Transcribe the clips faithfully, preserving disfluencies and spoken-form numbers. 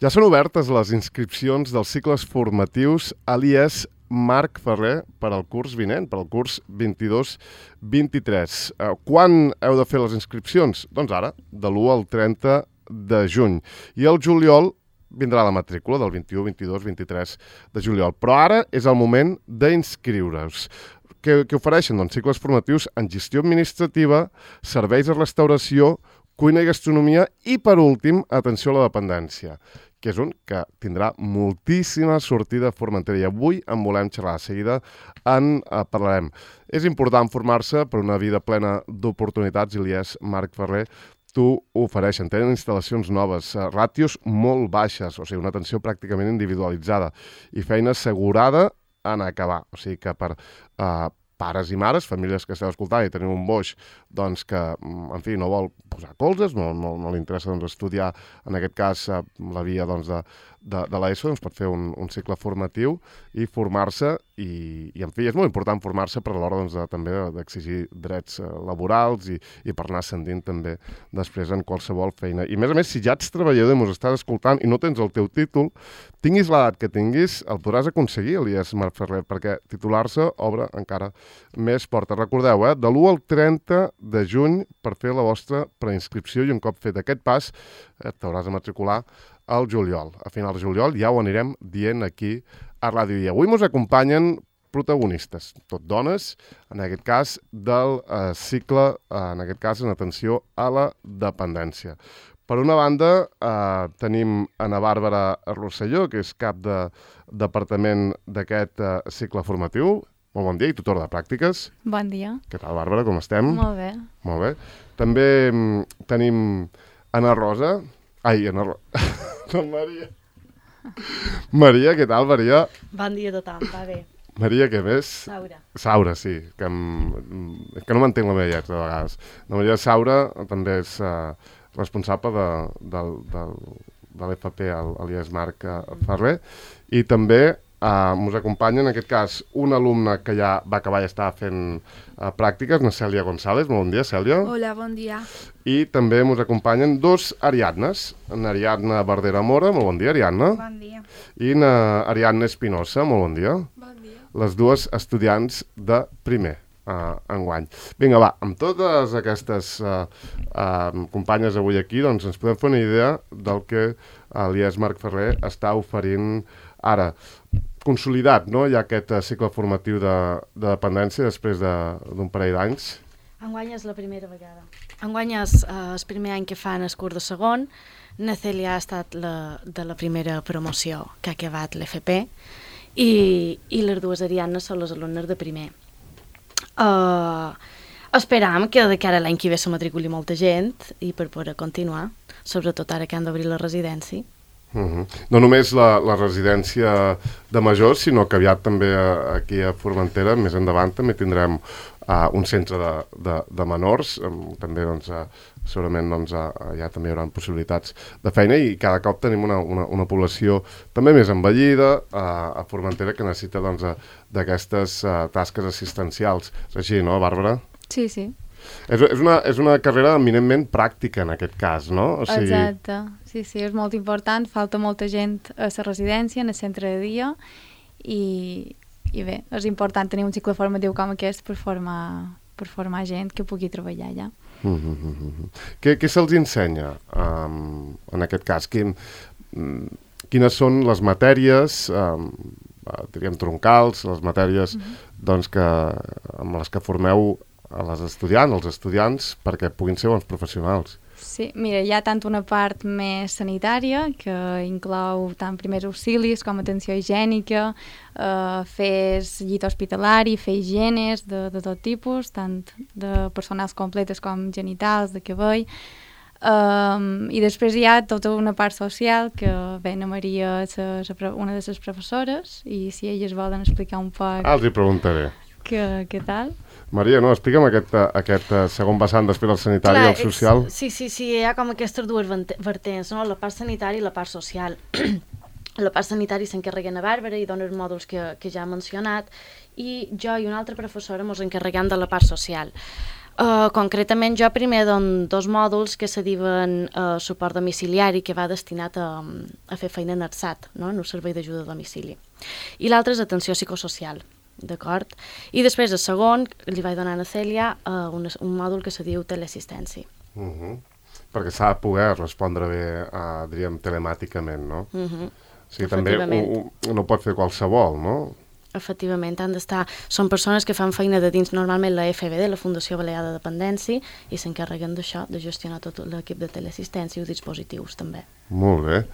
Ja són obertes les inscripcions dels cicles formatius a l'I E S Marc Ferrer per al curs vinent, per al curs vint-i-dos vint-i-tres. Eh, quan heu de fer les inscripcions? Doncs ara, de l'u al trenta de juny. I el juliol vindrà la matrícula del vint-i-u, vint-i-dos, vint-i-tres de juliol. Però ara és el moment d'inscriure-us. Què, què ofereixen? Doncs cicles formatius en gestió administrativa, serveis de restauració, cuina i gastronomia i, per últim, atenció a la dependència, que és un que tindrà moltíssima sortida a Formentera. I avui en volem xerrar. De seguida en eh, parlarem. És important formar-se per una vida plena d'oportunitats i l'I E S Marc Ferrer t'ho ofereixen. Tenen instal·lacions noves, eh, ràtios molt baixes, o sigui, una atenció pràcticament individualitzada i feina assegurada en acabar. O sigui que per eh, pares i mares, famílies que esteu escoltant i teniu un boix doncs, que, en fi, no vol posar colzes, no, no, no li interessa doncs, estudiar, en aquest cas, la via doncs, de, de, de l'ESO, doncs, pot fer un, un cicle formatiu i formar-se, i, i en fi, és molt important formar-se per a l'hora doncs, de, també d'exigir drets eh, laborals i, i per anar ascendint també després en qualsevol feina. I a més a més, si ja ets treballador i mos estàs escoltant i no tens el teu títol, tinguis l'edat que tinguis, el podràs aconseguir a l'I E S Marc Ferrer, perquè titular-se obre encara més portes. Recordeu, eh, de l'u al trenta de juny per fer la vostra preinscripció i un cop fet aquest pas eh, t'hauràs de matricular al juliol. A final de juliol ja ho anirem dient aquí a Ràdio I. Avui ens acompanyen protagonistes, tot dones, en aquest cas del eh, cicle, eh, en aquest cas en atenció a la dependència. Per una banda, eh, tenim Ana Bàrbara Rosselló, que és cap de departament d'aquest eh, cicle formatiu. Molt bon dia i tutora de pràctiques. Bon dia. Què tal, Bàrbara, com estem? Molt bé. Molt bé. També mm, tenim Ana Rosa. Ai, Ana Rosa. No, Maria. Maria, què tal, Maria? Bon dia a tothom, va bé. Maria, què més? Saura. Saura, sí. Que, em... que no m'entenc la meva lletra, de vegades. La Maria Saura també és uh, responsable de, del, del, de l'F P a l'I E S Marc Ferrer. I també Uh, ens acompanya, en aquest cas, una alumna que ja va acabar i està fent uh, pràctiques, na Cèlia González. Molt bon dia, Cèlia. Hola, bon dia. I també ens acompanyen dos Ariadnes, na Ariadna Verdera Mora. Molt bon dia, Ariadna. Bon dia. I na Ariadna Espinosa. Molt bon dia. Bon dia. Les dues estudiants de primer uh, enguany. Vinga, va, amb totes aquestes uh, uh, companyes avui aquí, doncs ens podem fer una idea del que uh, l'I E S Marc Ferrer està oferint ara. Consolidat, no?, hi ha aquest uh, cicle formatiu de, de dependència després d'un de, parell d'anys. Enguany és la primera vegada. Enguany és uh, el primer any que fan el curs de segon. Na Cèlia ha estat la, de la primera promoció que ha acabat l'F P i, i les dues Ariadnes són les alumnes de primer. Uh, esperam que de cara a l'any que ve se matriculi molta gent i per poder continuar, sobretot ara que han d'obrir la residència. Uh-huh. No només la, la residència de majors, sinó que aviat també a, aquí a Formentera, més endavant, també tindrem uh, un centre de, de, de menors, um, també doncs, uh, segurament doncs, uh, ja també hi haurà possibilitats de feina i cada cop tenim una, una, una població també més envellida uh, a Formentera que necessita doncs, d'aquestes uh, tasques assistencials. És així, no, Bàrbara? Sí, sí. És, és, una, és una carrera eminentment pràctica en aquest cas, no? O sigui... Exacte, sí, sí, és molt important, falta molta gent a la residència, en el centre de dia, i, i bé, és important tenir un cicle formatiu com aquest per formar, per formar gent que pugui treballar allà. Uh -huh, uh -huh. Què, què se'ls ensenya um, en aquest cas? Quin, um, quines són les matèries, um, diríem troncals, les matèries uh -huh. doncs, que, amb les que formeu a les estudiants, als estudiants, perquè puguin ser bons professionals? Sí, mira, hi ha tant una part més sanitària, que inclou tant primers auxilis com atenció higiènica, eh, fer llit hospitalari, fer higienes de, de tot tipus, tant de personals completes com genitals, de cabell. Um, I després hi ha tota una part social, que bé, na Maria és una de les professores, i si elles volen explicar un poc... Ah, els hi preguntaré. Què, què tal? Maria, no, explica'm aquest, aquest segon vessant després del sanitari i el social. Sí, sí, sí, hi ha com aquestes dues vertents, no? La part sanitària i la part social. La part sanitària s'encarreguen a Bàrbara i dona els mòduls que, que ja he mencionat, i jo i una altra professora ens encarreguem de la part social. Uh, concretament jo primer dono dos mòduls que se diuen uh, suport domiciliari, que va destinat a, a fer feina en E R S A T, no? En un servei d'ajuda a domicili. I l'altre és atenció psicosocial, d'acord? I després, el segon, li vaig donar a Cèlia uh, un, un mòdul que se diu teleassistència. Uh -huh. Perquè s'ha de poder respondre bé, uh, diríem, telemàticament, no? Uh -huh. O sigui, també ho, ho, no pot fer qualsevol, no? Efectivament, han d'estar... Són persones que fan feina de dins normalment la F B D, la Fundació Balear de Dependència, i s'encarreguen d'això, de gestionar tot l'equip de teleassistència i els dispositius, també. Molt bé.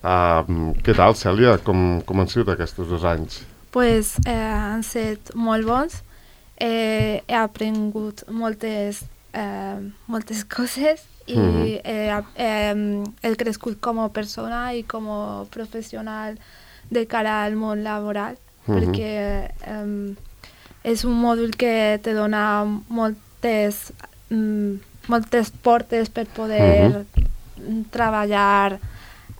Uh, què tal, Cèlia? Com, com han sigut aquests dos anys? Pues eh, han estat molt bons. Eh, he aprengut moltes, eh, moltes coses i mm-hmm. eh, eh, he crescut com a persona i com a professional de cara al món laboral. Uh-huh. Perquè um, és un mòdul que te dona moltes, um, moltes portes per poder uh-huh. treballar,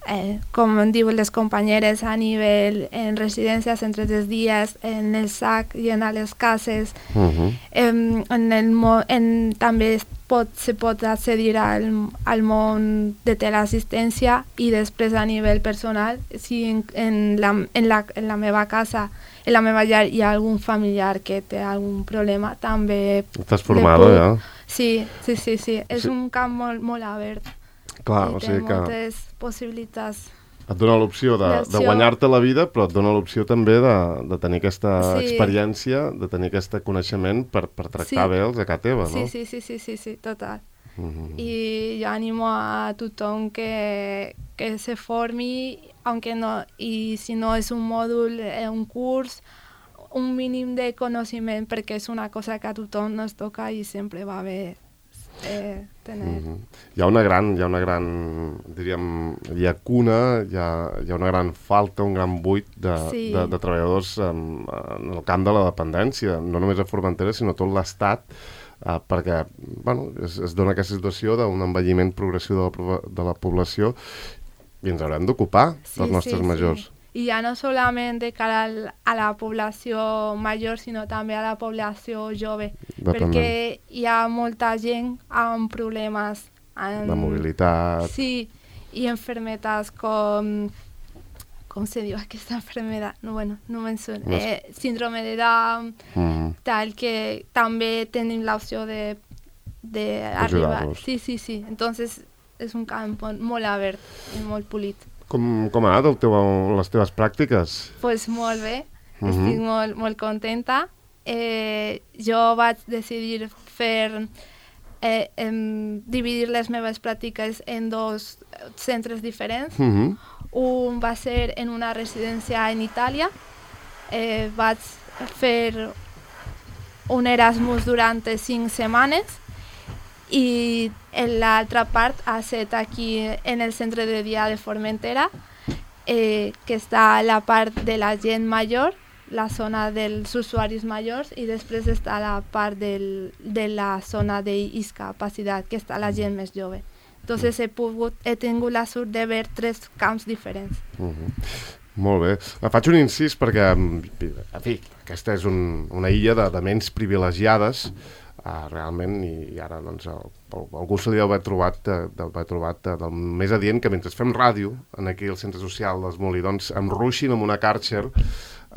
eh, com diuen les companyeres, a nivell en residències, centres de dies, en el S A C i en les cases. Uh-huh. en, en el mo en, també pot, se pot accedir al, al món de teleassistència i després a nivell personal, si en, en, la, en, la, en la meva casa, en la meva llar hi ha algun familiar que té algun problema, també... Estàs formada, puc... ja? Sí, sí, sí, sí. És sí. un camp molt, molt obert. Clar, i o sigui té que... moltes possibilitats. Et dona l'opció de, de guanyar-te la vida, però et dona l'opció també de, de tenir aquesta sí. experiència, de tenir aquest coneixement per, per tractar sí. bé els a casa teva, no? Sí, sí, sí, sí, sí, sí total. Uh-huh. I jo animo a tothom que, que se formi, aunque no, i si no és un mòdul, un curs, un mínim de coneixement, perquè és una cosa que a tothom nos toca i sempre va bé eh, tener. Uh-huh. Hi ha una gran, hi ha una gran, diríem, llacuna, hi ha, hi ha una gran falta, un gran buit de, sí. de, de treballadors en, en el camp de la dependència, no només a Formentera, sinó tot l'Estat, Uh, perquè bueno, es, es dona aquesta situació d'un envelliment progressiu de la, de la població i ens haurem d'ocupar sí, dels nostres sí, majors. Sí. I ja no solament de cara al, a la població major, sinó també a la població jove, Dependent. Perquè hi ha molta gent amb problemes en, de mobilitat. Sí, i enfermetats com... com se diu aquesta enfermedad? No, bueno, no me'n surt. No. Eh, síndrome de Down, mm. tal, que també tenim l'opció de, de arribar. Sí, sí, sí. Entonces, és un camp molt obert i molt polit. Com, com ha anat teu, les teves pràctiques? Pues molt bé. Mm-hmm. Estic molt, molt contenta. Eh, jo vaig decidir fer... Eh, em, dividir les meves pràctiques en dos centres diferents. Mm-hmm. Un va ser en una residència en Itàlia. Eh, vaig fer un Erasmus durant cinc setmanes i l'altra part ha estat aquí en el centre de dia de Formentera, eh, que està la part de la gent major, la zona dels usuaris majors, i després està la part del, de la zona de discapacitat, que està la gent més jove. Entonces he, pogut, he tingut la sort de veure tres camps diferents. Uh-huh. Molt bé. Faig un incís perquè, en fi, aquesta és un, una illa de, de ments privilegiades, uh, realment, i, i ara doncs, el, el, algú se li deu haver trobat, de, de, haver trobat de, del més adient que mentre fem ràdio, en aquí al centre social dels Molí, doncs em ruixin amb una Kärcher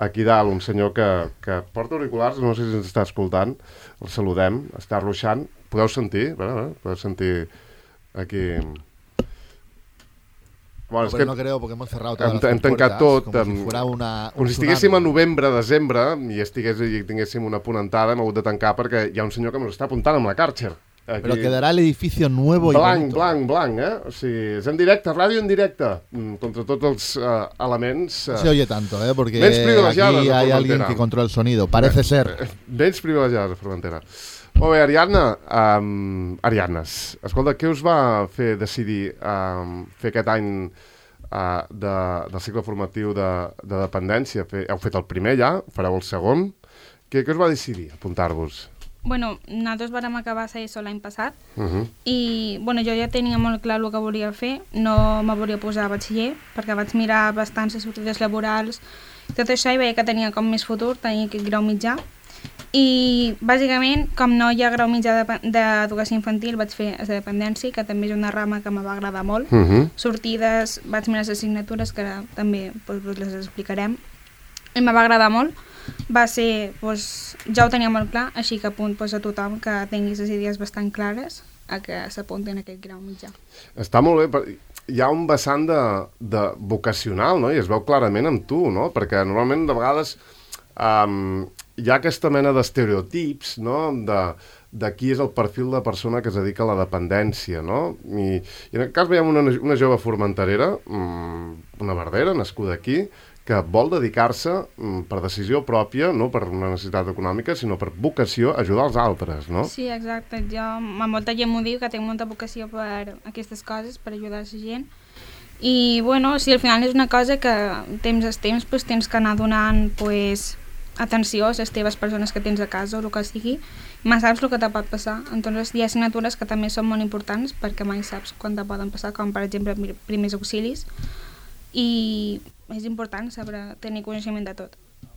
aquí dalt, un senyor que, que porta auriculars, no sé si ens està escoltant, el saludem, està ruixant. Podeu sentir? Bé, bé, podeu sentir... Aquí... Bueno, no, es que no creo, porque hemos cerrado todas hem, las hem tancat tot, com si fuera una, com si estiguéssim a novembre, desembre, i, estigués, i tinguéssim una apuntada, hem hagut de tancar perquè hi ha un senyor que ens està apuntant amb la Kärcher. Aquí. Pero quedará el edificio nuevo blanc, y bonito. Blanc, blanc, eh? O sigui, és en directe, ràdio en directe, contra tots els uh, elements... Uh, no se oye tanto, ¿eh? Porque aquí hay alguien que controla el sonido, parece ben, ser. Vents privilegiades a Formentera. Molt bé, Ariadna, um, Ariadnes, escolta, què us va fer decidir um, fer aquest any uh, de, del cicle formatiu de, de dependència? Fe, heu fet el primer ja, fareu el segon. Què, què us va decidir apuntar-vos? Bueno, nosaltres vam acabar a ESO l'any passat uh-huh. i bueno, jo ja tenia molt clar el que volia fer, no me volia posar a batxiller perquè vaig mirar bastants sortides laborals, tot això, i veia que tenia com més futur, tenia aquest grau mitjà. I bàsicament, com no hi ha grau mitjà d'educació infantil, vaig fer de dependència, que també és una rama que me va agradar molt. Uh -huh. Sortides, vaig mirar les assignatures, que ara també doncs, les explicarem, i me va agradar molt. Va ser, doncs, ja ho tenia molt clar, així que apunt doncs, a tothom que tingui les idees bastant clares a que s'apuntin a aquest grau mitjà. Està molt bé, hi ha un vessant de, de vocacional, no? I es veu clarament amb tu, no? Perquè normalment de vegades um, hi ha aquesta mena d'estereotips, no?, de, de qui és el perfil de persona que es dedica a la dependència, no? I, i en aquest cas veiem una, una jove formenterera, una verdera, nascuda aquí, que vol dedicar-se per decisió pròpia, no per una necessitat econòmica, sinó per vocació a ajudar els altres, no? Sí, exacte. Jo, a molta gent m'ho diu, que tinc molta vocació per aquestes coses, per ajudar la gent. I, bueno, sí, al final és una cosa que temps a temps pues, tens que anar donant pues, atenció a les teves persones que tens a casa o el que sigui, mai saps el que te pot passar. Entonces hi ha assignatures que també són molt importants perquè mai saps quan te poden passar, com per exemple primers auxilis, i és important saber tenir coneixement de tot.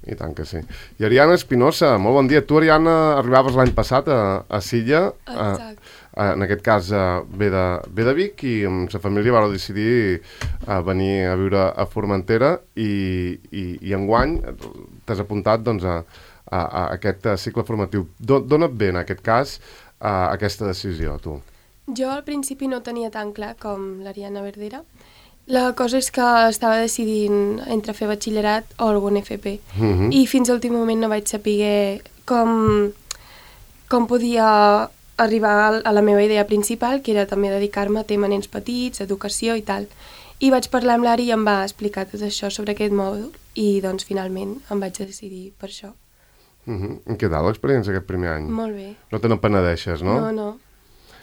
I tant que sí. I Ariana Espinosa, molt bon dia. Tu, Ariana, arribaves l'any passat a, a Silla. Exacte. A, en aquest cas a, ve, de, ve de Vic, i amb la família vau decidir a venir a viure a Formentera, i, i, i enguany t'has apuntat doncs, a, a, a aquest cicle formatiu. D'on et ve, en aquest cas, a aquesta decisió, tu? Jo al principi no tenia tan clar com l'Ariana Verdera. La cosa és que estava decidint entre fer batxillerat o algun F P. Uh-huh. I fins a l'últim moment no vaig saber com, com podia arribar a la meva idea principal, que era també dedicar-me a tema nens petits, educació i tal. I vaig parlar amb l'Ari i em va explicar tot això sobre aquest mòdul, i doncs finalment em vaig decidir per això. Uh-huh. Què tal l'experiència aquest primer any? Molt bé. No te n'empenedeixes, no? No, no.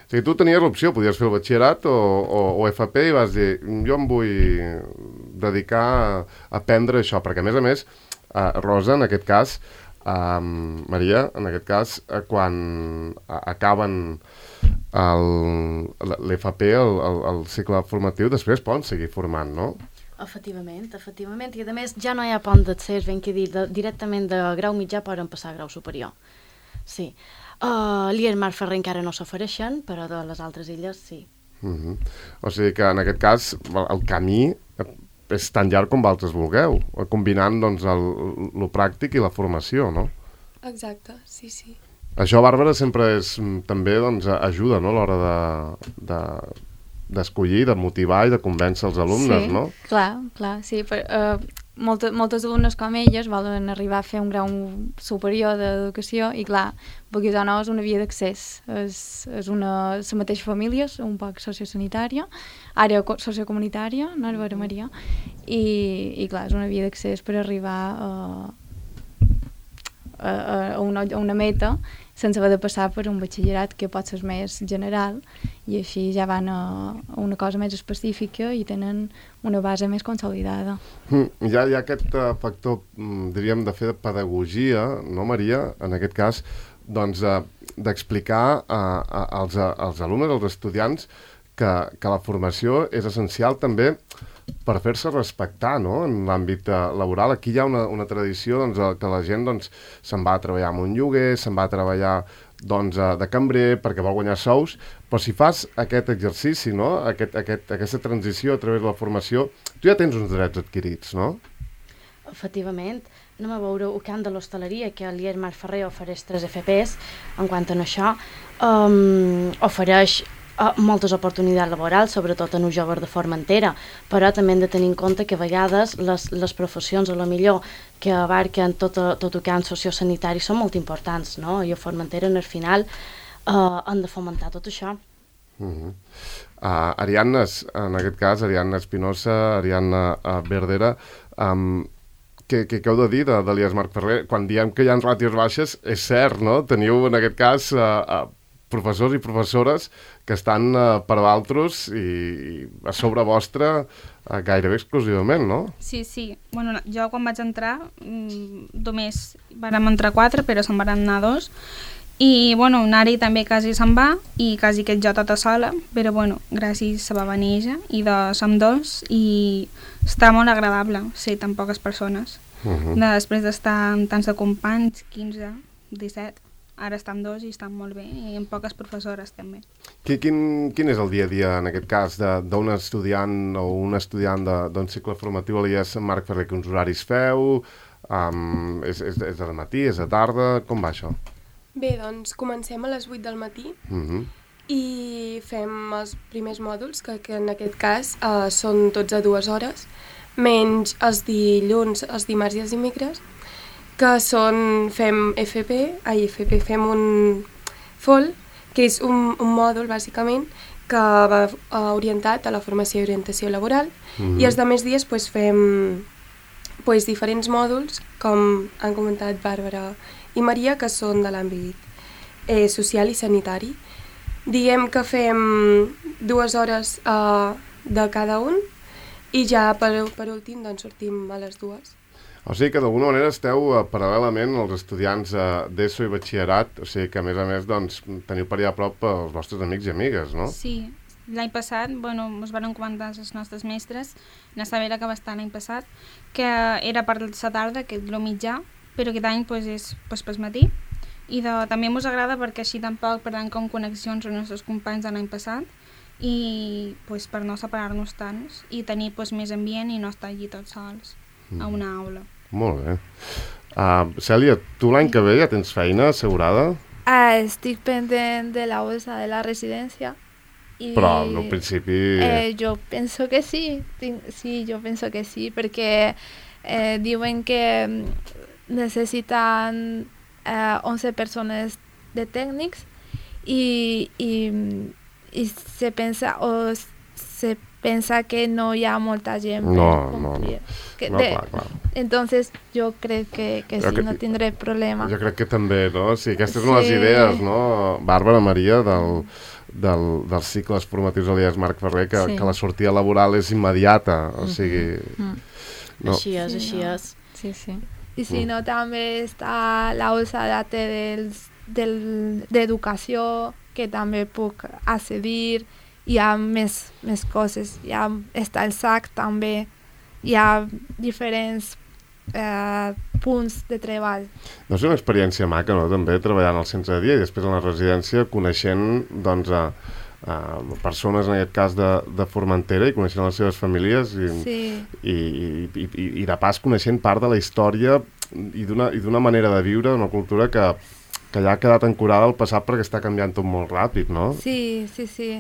O sigui, tu tenies l'opció, podies fer el batxillerat o, o, o F P, i vas dir, jo em vull dedicar a aprendre això, perquè a més a més, uh, Rosa, en aquest cas, uh, Maria, en aquest cas, uh, quan uh, acaben l'F P, el, el, el cicle formatiu, després poden seguir formant, no? Efectivament, efectivament, i a més ja no hi ha pont d'accés, ben que dir, de, directament de grau mitjà poden passar a grau superior. Sí. Uh, L'I E R Marc Ferrer encara no s'ofereixen, però de les altres illes sí. Uh-huh. O sigui que en aquest cas el camí és tan llarg com vosaltres vulgueu, combinant doncs, el, el pràctic i la formació, no? Exacte, sí, sí. Això, Bàrbara, sempre és, també doncs, ajuda, no?, a l'hora de, de, d'escollir, de motivar i de convèncer els alumnes, sí, no? Sí, clar, clar, sí. Per, uh, molta, moltes alumnes com elles volen arribar a fer un grau superior d'educació i, clar, vulguis o no, és una via d'accés. És, és una, la mateixa família, un poc sociosanitària, àrea sociocomunitària, no, Vera Maria? I, i, clar, és una via d'accés per arribar a, a, a, una, a una meta sense haver de passar per un batxillerat que pot ser més general, i així ja van a, a una cosa més específica i tenen una base més consolidada. Mm, ja hi ha aquest uh, factor, mm, diríem, de fer de pedagogia, no, Maria? En aquest cas, doncs, uh, d'explicar uh, als, uh, als alumnes, als estudiants, que, que la formació és essencial també per fer-se respectar, no?, en l'àmbit uh, laboral. Aquí hi ha una, una tradició doncs, que la gent doncs, se'n va a treballar amb un lloguer, se'n va a treballar doncs, uh, de cambrer perquè vol guanyar sous, però si fas aquest exercici, no?, aquest, aquest, aquesta transició a través de la formació, tu ja tens uns drets adquirits, no? Efectivament. Anem a veure el camp de l'hostaleria, que l'I E R Marc Ferrer ofereix tres F Ps en quant a això. Um, ofereix Uh, moltes oportunitats laborals, sobretot en un jove de Formentera, però també hem de tenir en compte que a vegades les, les professions, a lo millor, que abarquen tot, tot el camp sociosanitari són molt importants, no? I a Formentera, en el final, uh, han de fomentar tot això. Uh-huh. uh, Ariadna, en aquest cas, Ariadna Espinosa, Ariadna uh, Verdera, um, què, què, què heu de dir de, de l'I E R Marc Ferrer? Quan diem que hi ha ràtios baixes, és cert, no? Teniu, en aquest cas, uh, uh, professors i professores que estan uh, per d'altres i, i a sobre vostre uh, gairebé exclusivament, no? Sí, sí. Bueno, jo quan vaig entrar mmm, només vàrem entrar quatre, però se'n van anar dos. I, bueno, Nari també quasi se'n va i quasi que jo tota sola, però, bueno, gràcies se va venir ella i de, som dos i està molt agradable ser tan poques persones. Uh-huh. Després d'estar amb tants de companys, quinze, disset. Ara estem dos i estan molt bé, i amb poques professores també. Quin, quin és el dia a dia, en aquest cas, d'un estudiant o un estudiant d'un cicle formatiu a l'I E S Marc Ferrer? Quins horaris feu? Um, és, és, és de matí, és de tarda? Com va això? Bé, doncs comencem a les vuit del matí uh-huh. i fem els primers mòduls, que, que en aquest cas uh, són tots a dues hores, menys els dilluns, els dimarts i els dimecres, que són, fem F P, ai, F P, fem un F O L, que és un, un mòdul, bàsicament, que va uh, orientat a la formació i orientació laboral, mm-hmm. i els altres dies pues, fem pues, diferents mòduls, com han comentat Bàrbara i Maria, que són de l'àmbit eh, social i sanitari. Diguem que fem dues hores uh, de cada un, i ja per, per últim doncs, sortim a les dues. O sigui que d'alguna manera esteu uh, paral·lelament als estudiants uh, d'ESO i batxillerat, o sigui que a més a més doncs, teniu per allà a prop els vostres amics i amigues, no? Sí, l'any passat, bueno, ens van comentar els nostres mestres, na Sabera que va estar l'any passat, que era per la tarda, que és el mitjà, però aquest any pues, és pues, pel matí, i de, també ens agrada perquè així tampoc perdem com connexions amb els nostres companys de l'any passat, i pues, per no separar-nos tant i tenir pues, més ambient i no estar allí tots sols mm. a una aula. Molt bé. Uh, Cèlia, tu l'any que ve ja tens feina assegurada? Uh, estic pendent de la bolsa de la residència. I, Però al principi... Eh, jo penso que sí, sí, jo penso que sí, perquè eh, diuen que necessiten eh, onze persones de tècnics i, i, i se pensa o se pensa que no hi ha molta gent no, per complir. No, que no, de, clar, clar. Entonces jo crec que, que sí, que, no tindré problema. Jo crec que també, no? Sí, aquestes són sí. les idees, no? Bàrbara, Maria, del, del, dels cicles formatius a l'I E S Marc Ferrer, que, sí. que la sortida laboral és immediata, o sigui... Mm-hmm. No. Així és, sí, així no. és. Sí, sí. I si no, també està la bolsa de dels, del, d'educació, que també puc accedir. Hi ha més, més coses, hi ha, està el S A C també, hi ha diferents eh, punts de treball. No és una experiència maca, no?, també treballant al centre de dia i després a la residència coneixent doncs, a, a persones, en aquest cas de, de Formentera, i coneixent les seves famílies i, sí. i, i, i, i de pas coneixent part de la història i d'una, i d'una manera de viure, d'una cultura que, que ja ha quedat ancorada al passat perquè està canviant tot molt ràpid, no? Sí, sí, sí.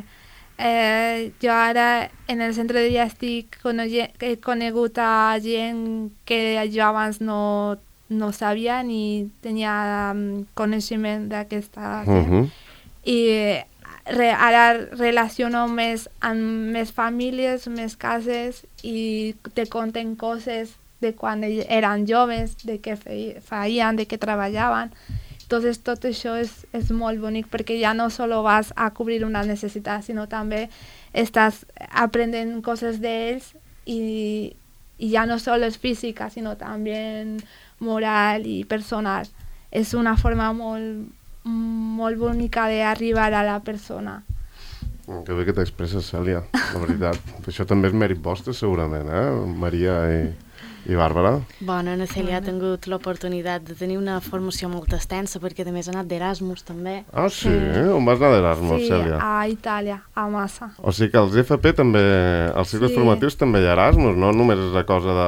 Eh, jo ara en el centre de dia estic conegut, he conegut a gent que jo abans no, no sabia ni tenia um, coneixement d'aquesta gent. Uh-huh. I re, ara relaciono més amb més famílies, més cases i te conten coses de quan eren joves, de què feien, de què treballaven. Entonces tot això és, és molt bonic perquè ja no solo vas a cobrir una necessitat, sinó també estàs aprenent coses d'ells i, i ja no solo és física, sinó també moral i personal. És una forma molt, molt bonica d'arribar a la persona. Que bé que t'expresses, Cèlia, la veritat. Això també és mèrit vostre, segurament, eh? Maria i... I Bàrbara? Bona, na Cèlia ha tingut l'oportunitat de tenir una formació molt extensa perquè a més ha anat d'Erasmus també. Ah, sí? sí. On vas anar d'Erasmus, sí, Cèlia? Sí, a Itàlia, a Massa. O sigui que als F P també, als cicles sí. formatius també hi ha Erasmus, no només és una cosa de,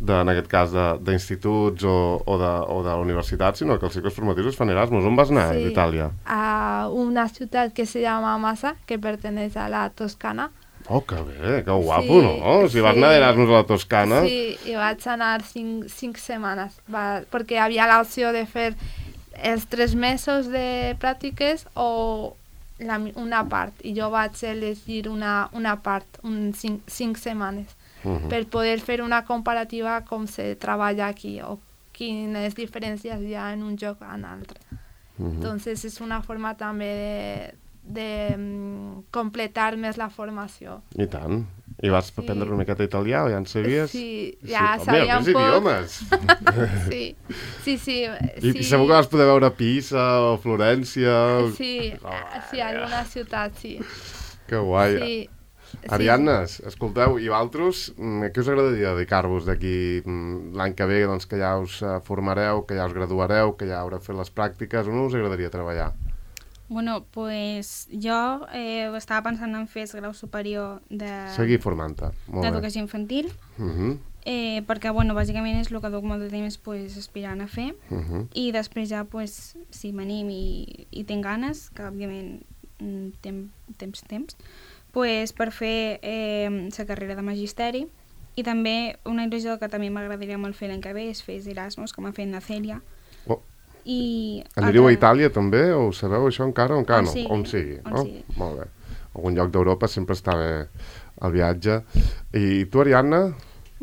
de en aquest cas d'instituts o, o, de, o de la universitat, sinó que els cicles formatius es fan Erasmus. On vas anar, sí. a Itàlia? A una ciutat que se llama Massa, que perteneix a la Toscana. Oh, que bé, que guapo, sí, no? Si sí. vas anar d'Erasmus a la Toscana... Sí, i vaig anar cinc, cinc setmanes, va, perquè havia l'opció de fer els tres mesos de pràctiques o la, una part, i jo vaig elegir una, una part, un cinc, cinc setmanes, uh-huh. per poder fer una comparativa com se treballa aquí, o quines diferències hi ha en un lloc o en altre. Uh-huh. Entonces és una forma també de... de um, completar més la formació. I tant. I vas sí. aprendre una miqueta italià o ja en sabies? Sí, ja sí. sabia un poc. idiomes. sí, sí, sí. I, sí. I segur que vas poder veure Pisa o Florència. Sí, oh, sí, alguna ciutat, sí. Que guai. Sí. Sí. Ariadnes, escolteu, i vosaltres, què us agradaria dedicar-vos d'aquí l'any que ve, doncs, que ja us formareu, que ja us graduareu, que ja haureu fet les pràctiques, on us agradaria treballar? Bueno, pues jo eh, estava pensant en fer el grau superior de... Seguir formant-te, molt bé. D'educació infantil, Uh -huh. eh, perquè, bueno, bàsicament és el que duc molt de temps pues, aspirant a fer, Uh -huh. i després ja, pues, si m'anim i, i tinc ganes, que òbviament tem, temps, temps, pues, per fer eh, la carrera de magisteri, i també una il·lusió que també m'agradaria molt fer l'any que ve és fer Erasmus, com ha fet na Cèlia. Oh. I Anireu altra... a Itàlia també, o ho sabeu això encara o encara On no? sigui, On sigui. on Oh, sigui. molt bé. Algun lloc d'Europa sempre està bé el viatge. I tu, Ariadna?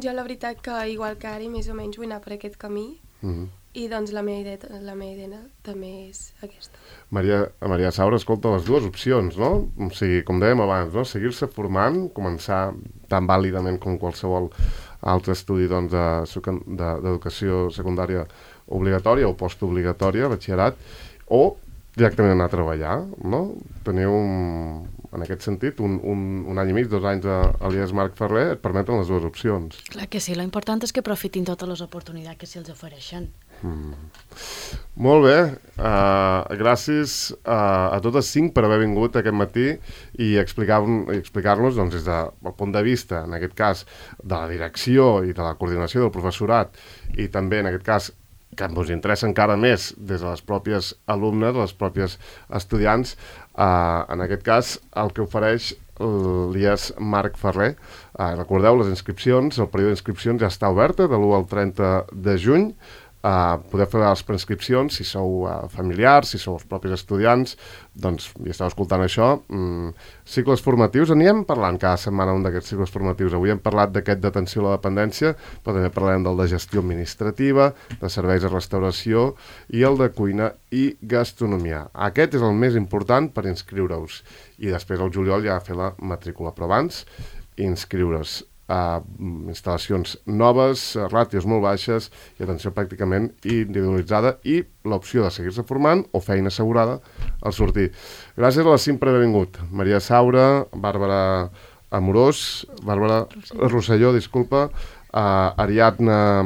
Jo la veritat que igual que ara més o menys vull anar per aquest camí Uh -huh. i doncs la meva idea, la meva idea també és aquesta. Maria, Maria Saura, escolta, les dues opcions, no? O sigui, com dèiem abans, no? Seguir-se formant, començar tan vàlidament com qualsevol altre estudi doncs, d'educació de, secundària obligatòria o postobligatòria, batxillerat, o directament anar a treballar, no? Teniu, un, en aquest sentit, un, un, un any i mig, dos anys a, a l'I E S Marc Ferrer, et permeten les dues opcions. Clar que sí, l'important és que aprofitin totes les oportunitats que se'ls ofereixen. Mm. Molt bé, uh, gràcies uh, a totes cinc per haver vingut aquest matí i explicar-nos explicar doncs, des del punt de vista, en aquest cas, de la direcció i de la coordinació del professorat i també, en aquest cas, que ens interessa encara més des de les pròpies alumnes, les pròpies estudiants, uh, en aquest cas, el que ofereix l'I E S Marc Ferrer. Uh, recordeu, les inscripcions, el període d'inscripcions ja està oberta de l'u al trenta de juny. Uh, podeu fer les preinscripcions si sou uh, familiars, si sou els propis estudiants, doncs ja esteu escoltant això. Mm, cicles formatius, anirem parlant cada setmana un d'aquests cicles formatius. Avui hem parlat d'aquest d'atenció a la dependència, però també parlarem del de gestió administrativa, de serveis de restauració i el de cuina i gastronomia. Aquest és el més important per inscriure-us. I després al juliol ja fer la matrícula, però abans inscriure's. Uh, instal·lacions noves, uh, ràtios molt baixes i atenció pràcticament individualitzada i l'opció de seguir-se formant o feina assegurada al sortir. Gràcies a les cinc per haver vingut. Maria Saura, Bàrbara Amorós, Bàrbara Rosselló, Rosselló disculpa, uh, Ariadna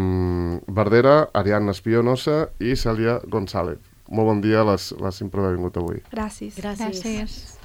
Verdera, Ariadna Espionosa i Cèlia González. Molt bon dia a les, les cinc per haver vingut avui. Gràcies. Gràcies. Gràcies.